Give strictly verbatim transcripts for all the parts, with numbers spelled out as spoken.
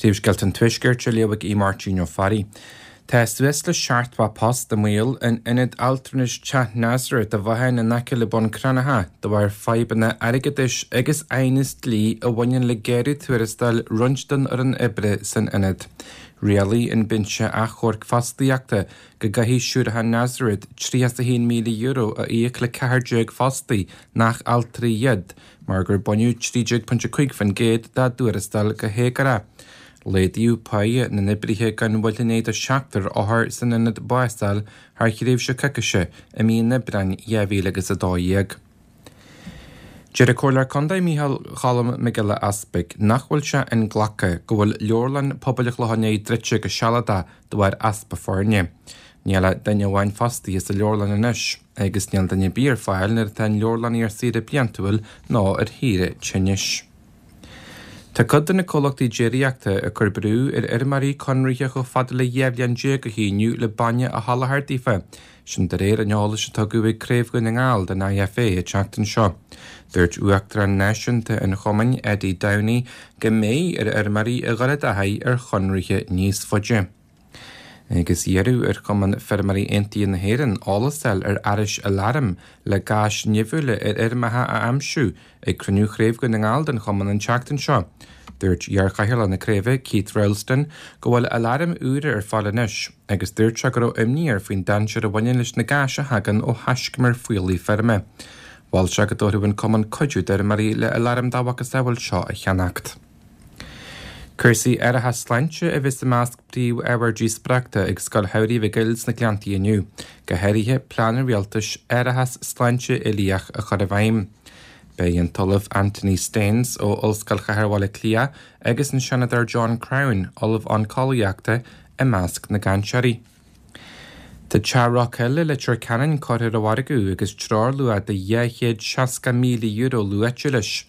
Príomhscéalta an Tuaiscirt á léamh ag Máirtín Ó Fearraigh. Tá suas le seachtó post i mbaol in ionad altranais Teach Nazareth i bhFathain in aice le Bun Cranncha de bharr fadhbanna airgeadais agus aighneas dlí a bhaineann le géarú tuarastail roinnt den fhoireann oibre san ionad. Rialaigh an Binse Achomhairc Fostaíochta go gcaithfidh Siúracha Nazareth tríocha a haon míle euro a íoc le ceathair déag fostaí nach altraí iad, mar gur baineadh trí déag pointe cúig faoin gcéad dá dtuarastal go héagórach. Laghdaíodh pá na n-oibrithe gan mhoill i ndiaidh do seachtar othar san ionad bás a fháil thar thréimhse coicíse i mí an Aibreáin dhá mhíle agus a dó dhéag. Deir an Comhairleoir Contae Micheál Cholm Mac Giolla Easpaig nach bhfuil sé inghlactha go bhfuil leabharlann pobail an Chlocháin Léith druidte go sealadach de bharr easpa foirne. Níl ach duine amháin fostaithe sa leabharlann anois agus níl duine ar bith ar fáil nuair atá an leabharlannaí ar saoire bliantúil nó ar shaoire tinnis. Tá cuid de na comhlachtaí déiríochta ag cur brú ar fheirmeoirí conraithe chomh fada le dhá bhliain déag a shíniú le bainne a sholáthar daofa, sin de réir an eolais a tugadh ag Craobh Dhún na nGall den IFA an tseachtain seo. Dúirt Uachtarán Náisiúnta an Chumainn, Eddie Downey, go mbeidh ar fheirmeoirí a dhul i dtaithí ar chonraithe níos faide. Agus iarradh ar Chumann Feirmeoirí Aontaithe na hÉireann eolas a fháil ar fhearais aláraim le gáis nimhiúla ar fheirmeacha a aimsiú ag cruinniú Chraobh Dhún na nGall den chumann an tseachtain seo. Dúirt iar-chathaoirleach na craoibhe, Keith Roulston, go bhfuil aláraim úra ar fáil anois, agus dúirt sé go raibh imní air faoin dainséar a bhaineann leis na gáis a thagann ó thaiscumair fuíollaigh feirme. Mhol sé go dtabharfadh an cumann cuidiú d'fheirmeoirí le aláraim dá mhacasamhail seo a cheannacht. Cúrsaí árachas sláinte a bheas i measc príomhábhar díospóireachta ag Scoil Shamhraidh Mhic Goill sna Gleanntaí inniu, go háirithe plean an rialtais árachas sláinte uilíoch a chur i bhfeidhm. Beidh an tOllamh Anthony Staines ó Ollscoil Chathair Bhaile Átha Cliath agus an Seanadóir John Crown, Ollamh Oncólaíochta, i measc na gcainteoirí. Tá Teach Rockhill i Leitir Ceanainn curtha ar an mhargadh agus treoirluach de dhá chéad seasca míle euro luaite leis.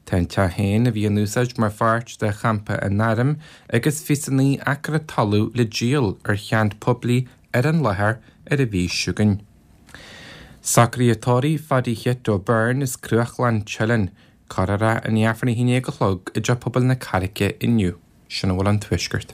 Tá an teach féin a bhí in úsáid mar pháirt de champa an airm agus fiche a naoi acra talaimh le díol ar cheant poiblí ar an láthair ar an mhí seo chugainn. Socruithe tórraimh Phaddy Chit O'Byrne as Cruachlainn Teileann, cuirfear é in Aifreann a haon déag a chlog i dTeach Pobail na Carraice inniu. Sin a bhfuil ón Tuaisceart.